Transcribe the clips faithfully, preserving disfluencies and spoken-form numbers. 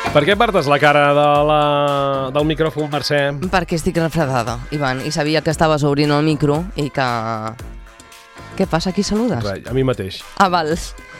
Per què apartes la cara de la... del micròfon, Mercè? Perquè estic refredada, Ivan, i sabia que estaves obrint el micro i que... Què passa? Qui saludes? Res, a mi mateix. Ah, val.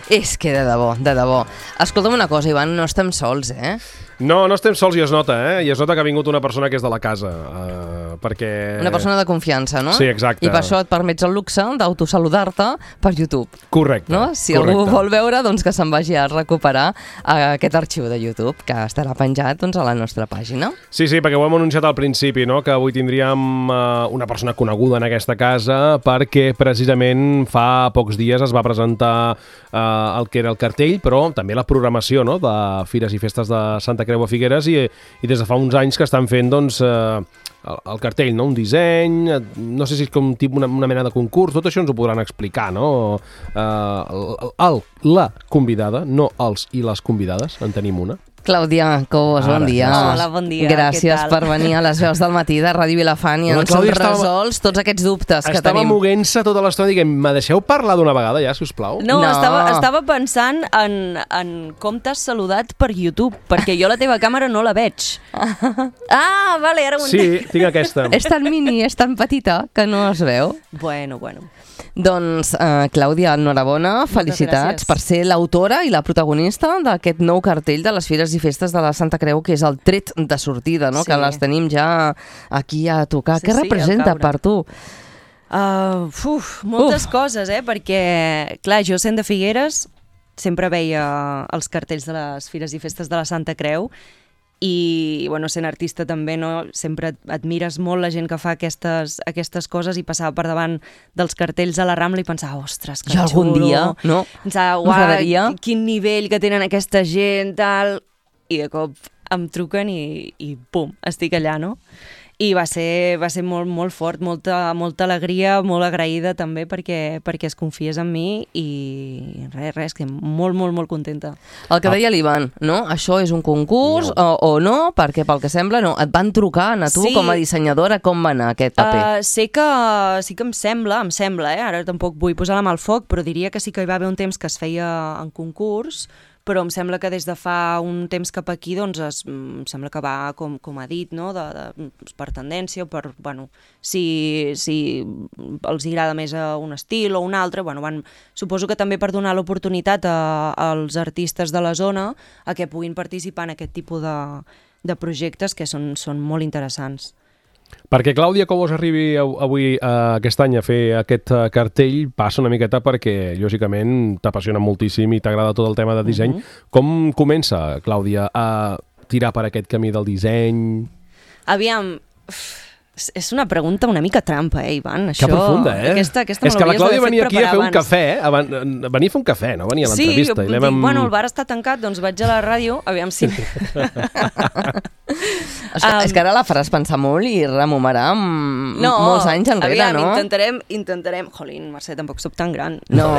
És que de debò, de debò. Escolta'm una cosa, Ivan, no estem sols, eh? No, no estem sols i es nota, eh? I es nota que ha vingut una persona que és de la casa, uh, perquè... Una persona de confiança, no? Sí, exacte. I per això et permets el luxe d'autosaludar-te per YouTube. Correcte. No? Si correcte. algú vol veure, doncs que se'n vagi a recuperar aquest arxiu de YouTube, que estarà penjat doncs, a la nostra pàgina. Sí, sí, perquè ho hem anunciat al principi, no? Que avui tindríem uh, una persona coneguda en aquesta casa perquè precisament fa pocs dies es va presentar uh, el que era el cartell, però també la programació, no? De Fires i Festes de Santa Creu a Figueres i, i des de fa uns anys que estan fent doncs, eh, el, el cartell, no? Un disseny, no sé si és com tipus una, una mena de concurs, tot això ens ho podran explicar, no? Eh, el, el, la convidada, no els i les convidades, en tenim una. Clàudia Cobos, bon dia. Hola, bon dia. Gràcies per venir a les veus del matí de Ràdio Vilafant i ens hem resolts tots aquests dubtes que tenim. Estava moguent-se tota l'estona dient, me deixeu parlar d'una vegada ja, si us plau? No, no. Estava, estava pensant en, en com t'has saludat per YouTube, perquè jo la teva càmera no la veig. Ah, vale, ara ho entenc. Sí, tinc aquesta. És tan mini, és tan petita, que no es veu. Bueno, bueno. Doncs, uh, Clàudia, enhorabona, felicitats per ser l'autora i la protagonista d'aquest nou cartell de les Fires i Festes de la Santa Creu, que és el tret de sortida, no? Sí. Que les tenim ja aquí a tocar. Sí, Què sí, representa per tu? Uh, uf, moltes uf. coses, eh? Perquè, clar, jo sent de Figueres sempre veia els cartells de les Fires i Festes de la Santa Creu i, bueno, sent artista també, no? Sempre admires molt la gent que fa aquestes, aquestes coses i passava per davant dels cartells a la Rambla i pensava, ostres, que jo xulo. algun dia, no? Pensava, uau, quin nivell que tenen aquesta gent, tal... I de cop em truquen i, i pum, estic allà, no? I va ser, va ser molt, molt fort, molta, molta alegria, molt agraïda també perquè, perquè es confies en mi i res, res, que molt, molt, molt contenta. El que deia l'Ivan, no? Això és un concurs no. O, o no? Perquè pel que sembla no. Et van trucar a tu sí. com a dissenyadora, com va anar aquest paper? Uh, sé que sí que em sembla, em sembla, eh? Ara tampoc vull posar la mà al foc, però diria que sí que hi va haver un temps que es feia en concurs, però em sembla que des de fa un temps cap aquí doncs es, em sembla que va com, com ha dit, no? de, de, per tendència, per, bueno, si, si els agrada més a un estil o un altre, bueno, van, suposo que també per donar l'oportunitat a, als artistes de la zona a que puguin participar en aquest tipus de, de projectes que són, són molt interessants. Perquè Clàudia Cobos arribi avui eh, aquest any a fer aquest eh, cartell passa una miqueta perquè, lògicament, t'apassiona moltíssim i t'agrada tot el tema de disseny. Uh-huh. Com comença, Clàudia, a tirar per aquest camí del disseny? Aviam, és una pregunta una mica trampa, eh, Ivan? Això... Que profunda, eh? Aquesta, aquesta és que la Clàudia venia aquí a fer abans. un cafè, abans, venia a fer un cafè, no venia a l'entrevista. Sí, i dic, amb... bueno, el bar està tancat, doncs vaig a la ràdio, aviam si... És que, um, és que ara la faràs pensar molt i rememorar no, molts anys enrere, aviam, no? intentarem, intentarem... Jolín, Mercè, tampoc soc tan gran. No,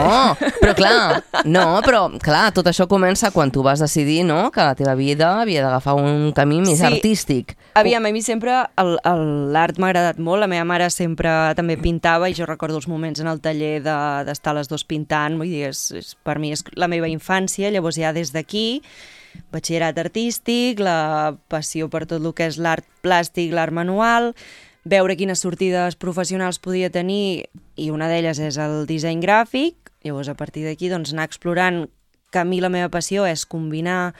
però clar, no, però clar, tot això comença quan tu vas decidir, no?, que la teva vida havia d'agafar un camí més sí. artístic. Aviam, a mi sempre l'art m'ha agradat molt, la meva mare sempre també pintava i jo recordo els moments en el taller d'estar de, les dues pintant, vull dir, és, és, per mi és la meva infància, llavors ja des d'aquí batxillerat artístic, la passió per tot el que és l'art plàstic, l'art manual, veure quines sortides professionals podia tenir i una d'elles és el disseny gràfic, llavors a partir d'aquí doncs, anar explorant que a mi la meva passió és combinar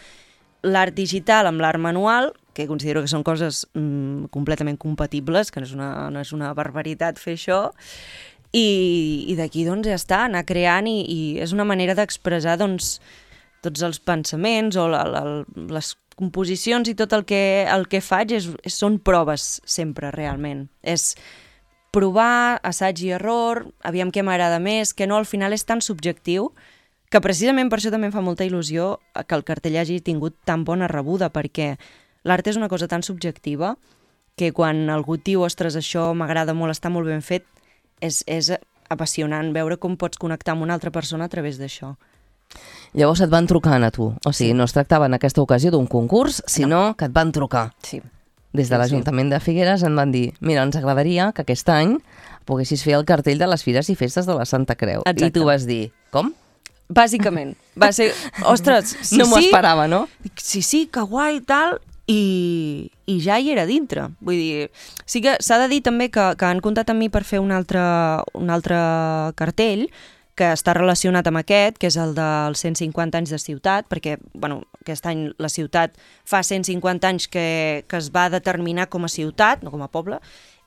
l'art digital amb l'art manual, que considero que són coses mm, completament compatibles, que no és, una, no és una barbaritat fer això, i, i d'aquí doncs ja està, anar creant i, i és una manera d'expressar doncs tots els pensaments o la, la, les composicions i tot el que, el que faig és, és, són proves sempre, realment. És provar, assaig i error, aviam què m'agrada més, que no al final és tan subjectiu, que precisament per això també em fa molta il·lusió que el cartell hagi tingut tan bona rebuda, perquè l'art és una cosa tan subjectiva que quan algú et diu, ostres, això m'agrada molt, està molt ben fet, és, és apassionant veure com pots connectar amb una altra persona a través d'això. Llavors et van trucant a tu, o sigui, sí. no es tractava en aquesta ocasió d'un concurs, sinó no. que et van trucar. Sí. Des de l'Ajuntament de Figueres en van dir, mira, ens agradaria que aquest any poguessis fer el cartell de les Fires i Festes de la Santa Creu. Exacte. I tu vas dir, com? Bàsicament, Va ser, ostres, sí, no m'ho sí. esperava, no? Dic, sí, sí, que guai i tal, i, i ja hi era dintre. Vull dir, sí que s'ha de dir també que, que han comptat amb mi per fer un altre, un altre cartell que està relacionat amb aquest, que és el dels cent cinquanta anys de ciutat, perquè bueno, aquest any la ciutat fa cent cinquanta anys que, que es va determinar com a ciutat, no com a poble.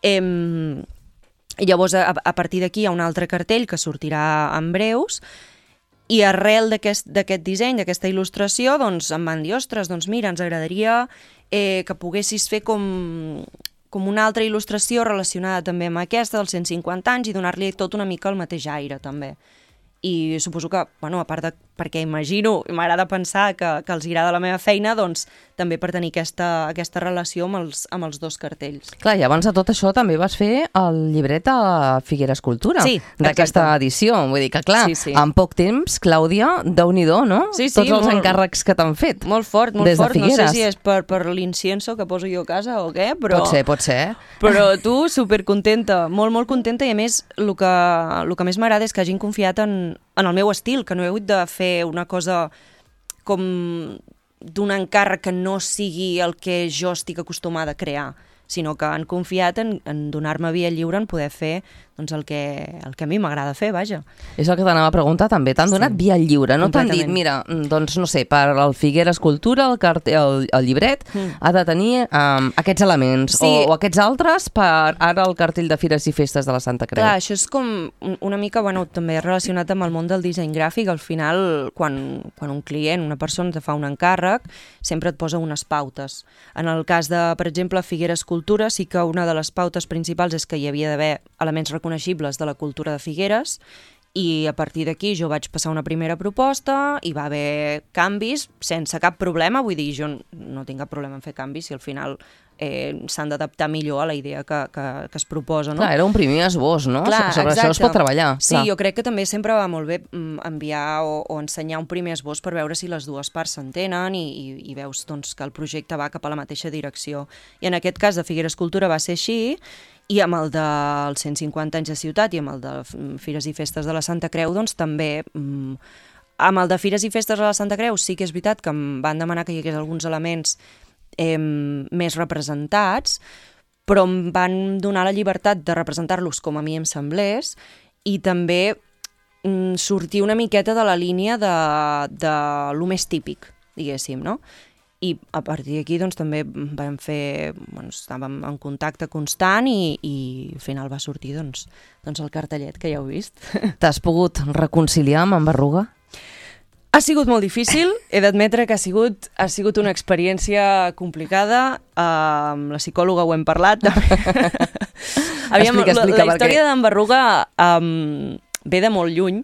Em, i llavors, a, a partir d'aquí hi ha un altre cartell que sortirà en breus, i arrel d'aquest disseny, d'aquesta il·lustració, doncs em van dir, ostres, doncs mira, ens agradaria eh, que poguessis fer com, com una altra il·lustració relacionada també amb aquesta dels cent cinquanta anys i donar-li tot una mica el mateix aire, també. I suposo que, bueno, a part de perquè imagino, m'agrada pensar que, que els agrada la meva feina, doncs també per tenir aquesta, aquesta relació amb els, amb els dos cartells. Clar, i abans de tot això també vas fer el llibret a Figueres Cultura, sí, d'aquesta edició. Vull dir que, clar, sí, sí. en poc temps, Clàudia, Déu-n'hi-do, no? Sí, sí, Tots els molt, encàrrecs que t'han fet. Molt fort, molt des fort. De Figueres. No sé si és per, per l'incienso que poso jo a casa o què, però... Pot ser, pot ser. Però tu, supercontenta, molt, molt contenta, i a més, el que, el que més m'agrada és que hagin confiat en, en el meu estil, que no he hagut de fer una cosa com d'un encàrrec que no sigui el que jo estic acostumada a crear, sinó que han confiat en, en donar-me via lliure en poder fer doncs, el, que, el que a mi m'agrada fer, vaja. És el que t'anava a preguntar també, t'han sí. donat via lliure, no t'han dit, mira, doncs no sé, per al Figueres Cultura, el, el, el llibret, mm. ha de tenir um, aquests elements, sí. o, o aquests altres per ara el cartell de Fires i Festes de la Santa Creu. Clar, això és com una mica, bueno, també relacionat amb el món del disseny gràfic. Al final, quan, quan un client, una persona te fa un encàrrec, sempre et posa unes pautes. En el cas de, per exemple, Figueres Cultura, sí que una de les pautes principals és que hi havia d'haver elements reconeixibles de la cultura de Figueres, i a partir d'aquí jo vaig passar una primera proposta, i va haver canvis sense cap problema. Vull dir, jo no tinc cap problema en fer canvis si al final eh, s'han d'adaptar millor a la idea que, que, que es proposa, no? Clar, era un primer esbós, no? Clar, sobre exacte. Això es pot treballar. Sí, clar. Jo crec que també sempre va molt bé enviar o, o ensenyar un primer esbós per veure si les dues parts s'entenen i, i, i veus doncs, que el projecte va cap a la mateixa direcció. I en aquest cas de Figueres Cultura va ser així, i amb el dels cent cinquanta anys de ciutat i amb el de Fires i Festes de la Santa Creu, doncs també... Mm, amb el de Fires i Festes de la Santa Creu sí que és veritat que em van demanar que hi hagués alguns elements eh, més representats, però em van donar la llibertat de representar-los com a mi em semblés, i també mm, sortir una miqueta de la línia de, de lo més típic, diguéssim, no? I a partir d'aquí doncs, també vam fer, bueno, estàvem en contacte constant i, i al final va sortir doncs, doncs el cartellet que ja heu vist. T'has pogut reconciliar amb en Berruga? Ha sigut molt difícil, he d'admetre que ha sigut, ha sigut una experiència complicada, uh, amb la psicòloga ho hem parlat. Aviam, explica, explica, la, la història perquè... d'en Berruga um, ve de molt lluny,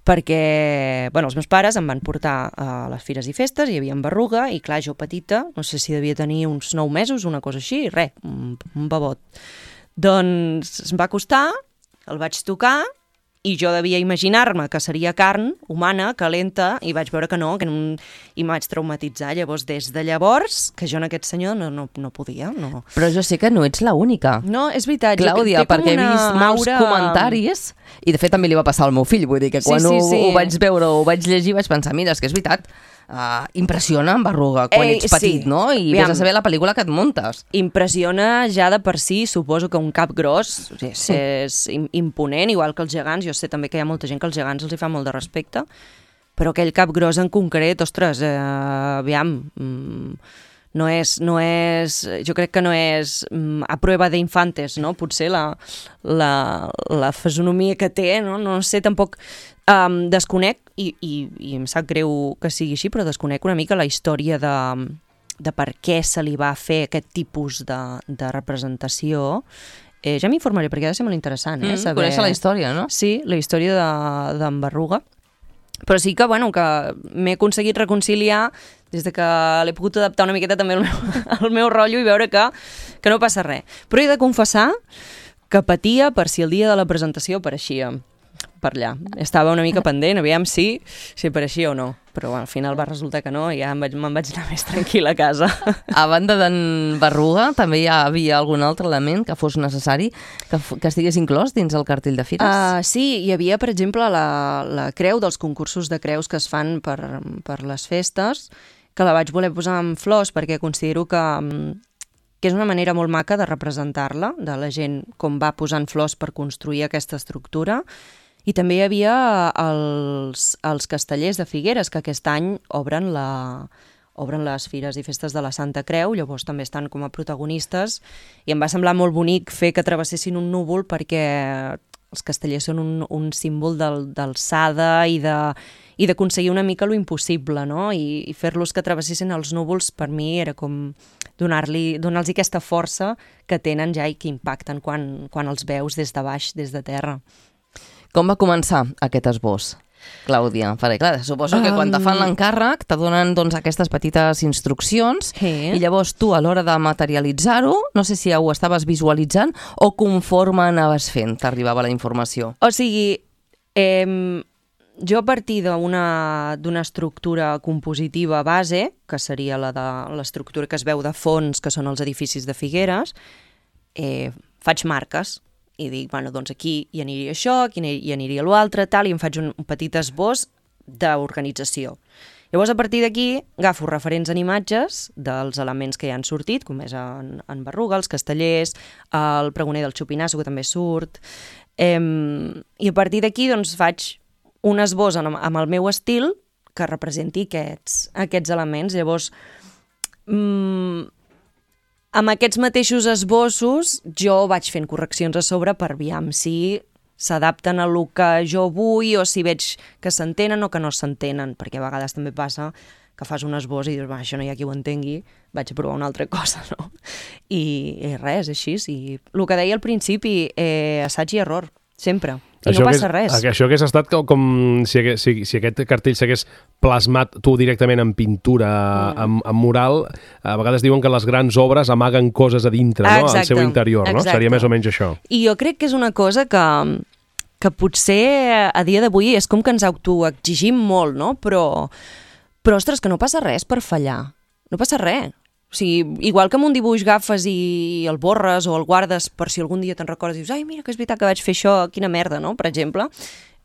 perquè bueno, els meus pares em van portar a les Fires i Festes, hi havia en Berruga, i clar, jo petita, no sé si devia tenir uns nou mesos, una cosa així, res, un, un babot. Doncs em va costar, el vaig tocar, i jo devia imaginar-me que seria carn humana, calenta, i vaig veure que no, que no, i em vaig traumatitzar. Llavors, des de llavors, que jo en aquest senyor no, no, no podia. No. Però jo sé que no ets l'única. No, és veritat. Clàudia, perquè he vist molts aura... comentaris, i de fet també li va passar al meu fill, vull dir que quan sí, sí, sí. Ho, ho vaig veure o ho vaig llegir vaig pensar, mira, és que és veritat, Uh, impressiona en Berruga quan Ei, ets petit, sí. no? I Aviam. Ves a saber la pel·lícula que et muntes. Impressiona ja de per si, suposo que un cap gros és, sí. és imponent, igual que els gegants. Jo sé també que hi ha molta gent que els gegants els hi fa molt de respecte, però aquell cap gros en concret, ostres, eh, aviam... Mm, no és, no és, jo crec que no és mm, a prova d'infantes, no? Potser la, la, la fisonomia que té, no, no sé, tampoc um, desconec, i, i, i em sap greu que sigui així, però desconec una mica la història de, de per què se li va fer aquest tipus de, de representació. Eh, ja m'informaré, perquè ha de ser molt interessant, eh? Mm, saber... Conèixer la història, no? Sí, la història d'en Berruga. Però sí que, bueno, que m'he aconseguit reconciliar des de que l'he pogut adaptar una miqueta també al meu, al meu rotllo i veure que, que no passa res. Però he de confessar que patia per si el dia de la presentació apareixia. per allà. Estava una mica pendent, aviam si, si apareixia o no. Però bueno, al final va resultar que no i ja me'n vaig, me'n vaig anar més tranquil·la a casa. A banda d'en Berruga, també hi havia algun altre element que fos necessari que, que estigués inclòs dins el cartell de fires? Uh, sí, hi havia, per exemple, la, la creu dels concursos de creus que es fan per, per les festes, que la vaig voler posar en flors perquè considero que, que és una manera molt maca de representar-la, de la gent com va posant flors per construir aquesta estructura. I també hi havia els, els castellers de Figueres, que aquest any obren, la, obren les fires i festes de la Santa Creu, llavors també estan com a protagonistes, i em va semblar molt bonic fer que travessessin un núvol perquè els castellers són un, un símbol d'alçada i de i d'aconseguir una mica lo impossible, no? I, i fer-los que travessessin els núvols, per mi era com donar-li, donar-los aquesta força que tenen ja i que impacten quan, quan els veus des de baix, des de terra. Com va començar aquest esbós, Clàudia? Perquè, clar, suposo que quan te fan l'encàrrec te donen doncs, aquestes petites instruccions sí. I llavors tu, a l'hora de materialitzar-ho, no sé si ho estaves visualitzant o conforme anaves fent, t'arribava la informació. O sigui, eh, jo a partir d'una d'una estructura compositiva base, que seria la de l'estructura que es veu de fons, que són els edificis de Figueres, eh, faig marques. I dic, bueno, doncs aquí hi aniria això, aquí hi aniria l'altre, tal, i em faig un, un petit esbós d'organització. Llavors, a partir d'aquí, agafo referents en imatges dels elements que ja han sortit, com és en, en Berruga, els castellers, el pregoner del Xupinasso, que també surt, eh, i a partir d'aquí, doncs, faig un esbós amb, amb el meu estil que representi aquests, aquests elements. Llavors, mmm, amb aquests mateixos esbossos jo vaig fent correccions a sobre per aviam si s'adapten a lo que jo vull o si veig que s'entenen o que no s'entenen, perquè a vegades també passa que fas un esbós i dius, va, això no hi ha qui ho entengui, vaig a provar una altra cosa, no? I, i res, així, i el que deia al principi, eh, assaig i error, sempre. I això no passa hagués, res. Això hagués estat com, com si, hagués, si, si aquest cartell s'hagués plasmat tu directament en pintura, mm. en, en mural, a vegades diuen que les grans obres amaguen coses a dintre, no? Al seu interior, no? Seria més o menys això. I jo crec que és una cosa que, que potser a dia d'avui és com que ens autoexigim molt, no? Però, però, ostres, que no passa res per fallar. No passa res. O sigui, igual que amb un dibuix agafes i el borres o el guardes per si algun dia te'n recordes i dius, ai, mira que és veritat que vaig fer això, quina merda, no?, per exemple.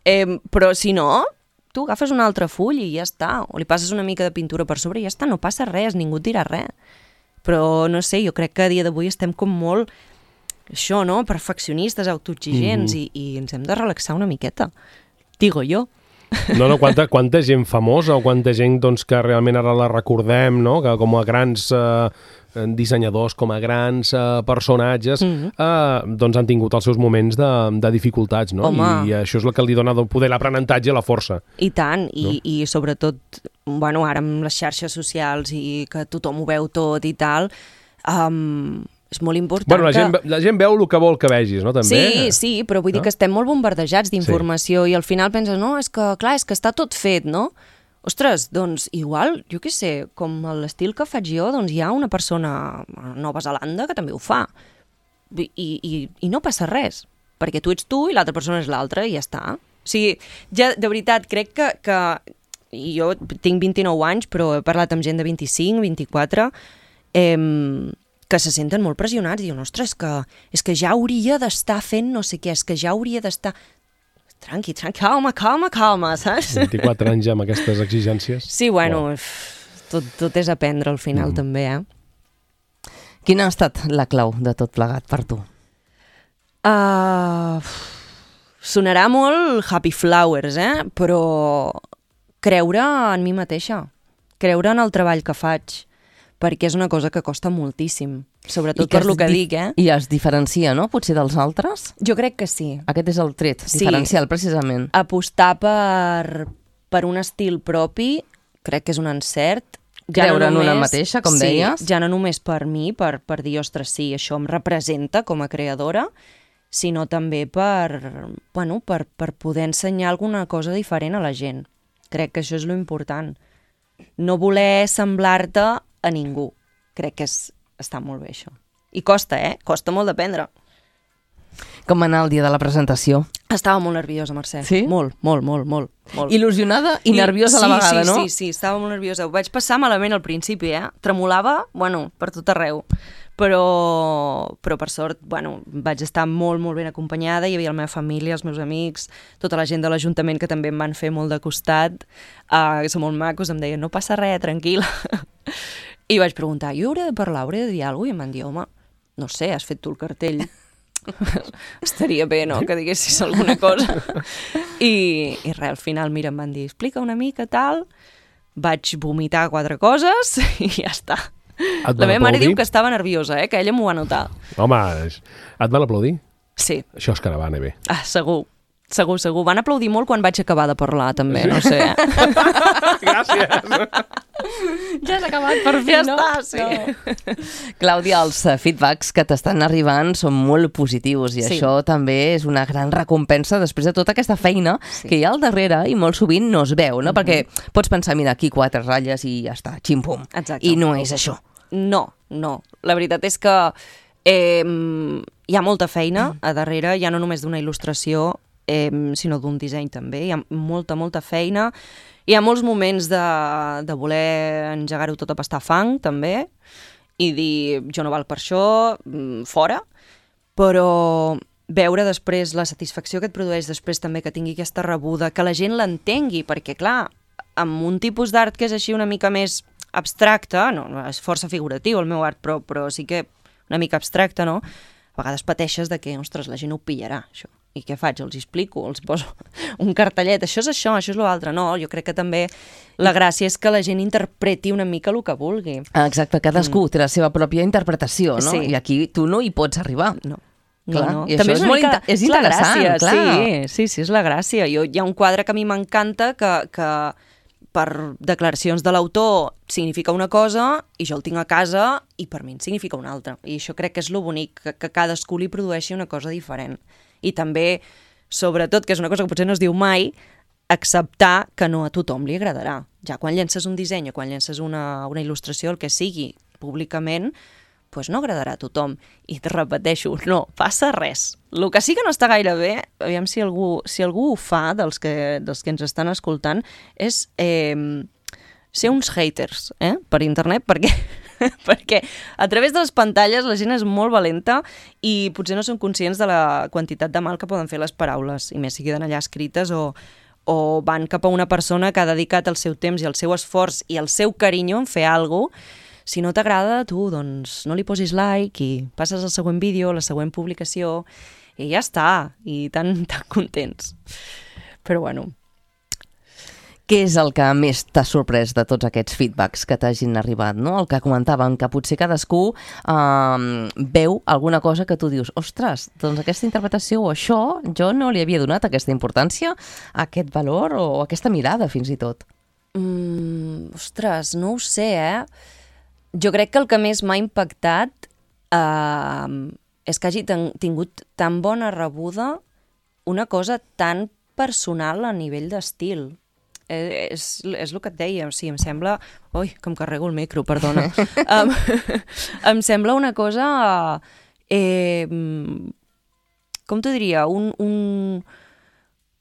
Eh, però si no, tu agafes un altre full i ja està, o li passes una mica de pintura per sobre i ja està, no passa res, ningú et dirà res. Però, no sé, jo crec que a dia d'avui estem com molt, això, no?, perfeccionistes, autoexigents, mm-hmm. i, i ens hem de relaxar una miqueta. Digo jo. No, no, quanta, quanta gent famosa o quanta gent doncs, que realment ara la recordem, no? Que com a grans eh, dissenyadors, com a grans eh, personatges, mm-hmm. eh, doncs han tingut els seus moments de, de dificultats, no? Home. I, I això és el que li dona poder l'aprenentatge i la força. I tant, i, no? i sobretot, bueno, ara amb les xarxes socials i que tothom ho veu tot i tal, um, és molt important bueno, la que... gent, la gent veu el que vol que vegis, no? També. Sí, sí, però vull dir no? que estem molt bombardejats d'informació sí. I al final penses, no, és que, clar, és que està tot fet, no? Ostres, doncs igual, jo què sé, com l'estil que faig jo, doncs hi ha una persona a Nova Zelanda que també ho fa. I, i, i no passa res, perquè tu ets tu i l'altra persona és l'altra i ja està. O sigui, ja, de veritat, crec que, que jo tinc vint-i-nou anys, però he parlat amb gent de vint-i-cinc, vint-i-quatre, eh, que se senten molt pressionats i diuen, ostres, que, és que ja hauria d'estar fent no sé què, és que ja hauria d'estar... Tranqui, tranqui, calma, calma, calma, saps? vint-i-quatre anys ja amb aquestes exigències. Sí, bueno, oh. tot, tot és aprendre al final mm. també, eh? Quina ha estat la clau de tot plegat per tu? Uh, sonarà molt Happy Flowers, eh? Però creure en mi mateixa, creure en el treball que faig, perquè és una cosa que costa moltíssim, sobretot per lo que dic, eh? I es diferencia, no?, potser dels altres? Jo crec que sí. Aquest és el tret sí. diferencial, precisament. Apostar per, per un estil propi, crec que és un encert. Ja Creure no només, en una mateixa, com sí, deies? Ja no només per mi, per, per dir, ostres, sí, això em representa com a creadora, sinó també per, bueno, per, per poder ensenyar alguna cosa diferent a la gent. Crec que això és lo important. No voler semblar-te a ningú. Crec que és, està molt bé això. I costa, eh? Costa molt d'aprendre. Com va anar el dia de la presentació? Estava molt nerviosa, Mercè. Sí? Molt, molt, molt, molt. molt. Il·lusionada i, I nerviosa a la vegada, sí, no? Sí, sí, sí, estava molt nerviosa. Ho vaig passar malament al principi, eh? Tremolava, bueno, per tot arreu. Però, però per sort, bueno, vaig estar molt, molt ben acompanyada. Hi havia la meva família, els meus amics, tota la gent de l'Ajuntament que també em van fer molt de costat, uh, que són molt macos, em deien, no passa res, tranquil·la. I vaig preguntar, jo hauré de parlar, hauré de dir alguna cosa? I em van dir, home, no sé, has fet tu el cartell. Estaria bé, no?, que diguessis alguna cosa. I, i res, al final, mira, em van dir, explica una mica, tal, vaig vomitar quatre coses i ja està. La meva mare diu que estava nerviosa, eh? Que ella m'ho va notar. Home, et van aplaudir? Sí. Això és caravana, bé. Ah, segur. Segur, segur. Van aplaudir molt quan vaig acabar de parlar, també, sí? No sé. Eh? Gràcies. Ja has acabat, per fi, ja no? Ja està, sí. No. Clàudia, els feedbacks que t'estan arribant són molt positius i sí. Això també és una gran recompensa després de tota aquesta feina sí. Que hi ha al darrere i molt sovint no es veu, no? Mm-hmm. Perquè pots pensar, mira, aquí quatre ratlles i ja està, xim-pum. Exacte. I no és això. No, no. La veritat és que eh, hi ha molta feina a darrere, ja no només d'una il·lustració, eh, sinó d'un disseny també. Hi ha molta, molta feina. Hi ha molts moments de, de voler engegar-ho tot a pastar fang, també, i dir, jo no val per això, fora, però veure després la satisfacció que et produeix després també que tingui aquesta rebuda, que la gent l'entengui, perquè, clar, amb un tipus d'art que és així una mica més abstracte, no, no és força figuratiu el meu art, però, però sí que una mica abstracte, no? A vegades pateixes de que, ostres, la gent ho pillarà, això. I què faig? Els explico, els poso un cartellet, això és això, això és l'altre. No, jo crec que també la gràcia és que la gent interpreti una mica el que vulgui. Exacte, cadascú mm. té la seva pròpia interpretació, no? Sí. I aquí tu no hi pots arribar. No. Clar, no, no. I també això és, és, molt mica, inter és interessant, gràcia, clar. Sí, sí, sí, és la gràcia. Jo, hi ha un quadre que a mi m'encanta que, que per declaracions de l'autor significa una cosa i jo el tinc a casa i per mi en significa una altra. I això crec que és lo bonic, que, que cadascú li produeixi una cosa diferent. I també, sobretot, que és una cosa que potser no es diu mai, acceptar que no a tothom li agradarà. Ja quan llences un disseny o quan llences una, una il·lustració, el que sigui, públicament, pues no agradarà a tothom. I te repeteixo, no passa res. El que sí que no està gaire bé, aviam si algú, si algú ho fa, dels que, dels que ens estan escoltant, és eh, ser uns haters eh, per internet, perquè, perquè a través de les pantalles la gent és molt valenta i potser no són conscients de la quantitat de mal que poden fer les paraules, i més si queden allà escrites o, o van cap a una persona que ha dedicat el seu temps i el seu esforç i el seu carinyo en fer alguna cosa. Si no t'agrada, tu, doncs, no li posis like i passes al següent vídeo, la següent publicació, i ja està, i tan, tan contents. Però bueno. Què és el que més t'ha sorprès de tots aquests feedbacks que t'hagin arribat, no? El que comentàvem, que potser cadascú eh, veu alguna cosa que tu dius, ostres, doncs aquesta interpretació o això, jo no li havia donat aquesta importància, aquest valor o aquesta mirada, fins i tot. Mm, ostres, no ho sé, eh? Jo crec que el que més m'ha impactat eh, és que hagi ten tingut tan bona rebuda una cosa tan personal a nivell d'estil. Eh, és, és el que et deia, o sigui, em sembla... Ui, que em carrego el micro, perdona. um, em sembla una cosa... Eh, com t'ho diria? Un, un,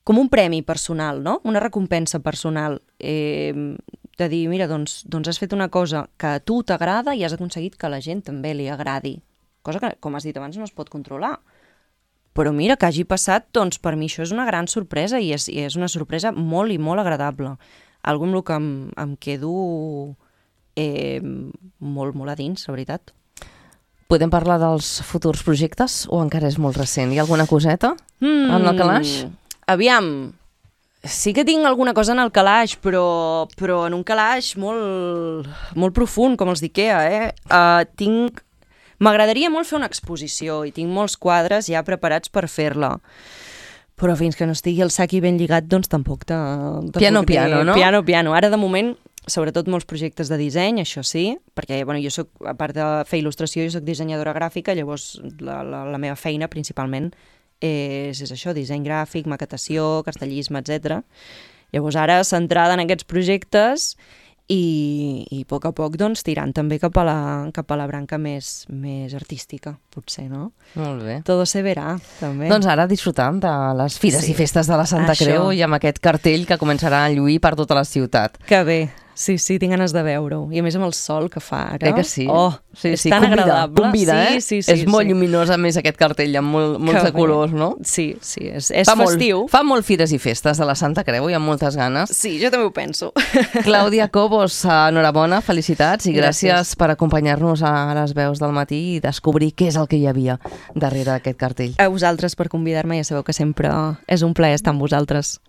com un premi personal, no? Una recompensa personal. Eh, de dir, mira, doncs, doncs has fet una cosa que a tu t'agrada i has aconseguit que a la gent també li agradi. Cosa que, com has dit abans, no es pot controlar. Però mira, que hagi passat, doncs per mi això és una gran sorpresa i és, i és una sorpresa molt i molt agradable. Algo amb el que em, em quedo eh, molt, molt a dins, la veritat. Podem parlar dels futurs projectes o encara és molt recent? Hi ha alguna coseta mm, en el calaix? Aviam... Sí que tinc alguna cosa en el calaix, però, però en un calaix molt, molt profund, com els d'Ikea, eh? Uh, tinc... M'agradaria molt fer una exposició i tinc molts quadres ja preparats per fer-la. Però fins que no estigui el sac i ben lligat, doncs tampoc te... Piano, piano, no? Piano, piano. Ara, de moment, sobretot molts projectes de disseny, això sí, perquè bueno, jo soc, a part de fer il·lustració, jo soc dissenyadora gràfica, llavors la, la, la meva feina principalment és, és això, disseny gràfic, maquetació, castellisme, etcètera. Llavors ara, centrada en aquests projectes i, i a poc a poc doncs, tirant també cap a la, cap a la branca més, més artística, potser, no? Molt bé. Todo se verá, també. Doncs ara disfrutant de les fires Sí. i festes de la Santa Això. Creu i amb aquest cartell que començarà a lluir per tota la ciutat. Que bé, sí, sí, tinc ganes de veure-ho. I a més amb el sol que fa ara. Eh que sí? Oh, sí, és sí, tan convida, agradable. Convida, sí, eh? sí, sí, és molt sí. lluminós, a més, aquest cartell, amb molt, molts Que de colors, bé. no? Sí, sí, és, és fa festiu. Molt, fa molt fires i festes de la Santa Creu i amb moltes ganes. Sí, jo també ho penso. Clàudia Cobos, enhorabona, felicitats i gràcies, Gràcies. per acompanyar-nos a les veus del matí i descobrir què és el que hi havia darrere d'aquest cartell. A vosaltres per convidar-me, ja sabeu que sempre és un plaer estar amb vosaltres.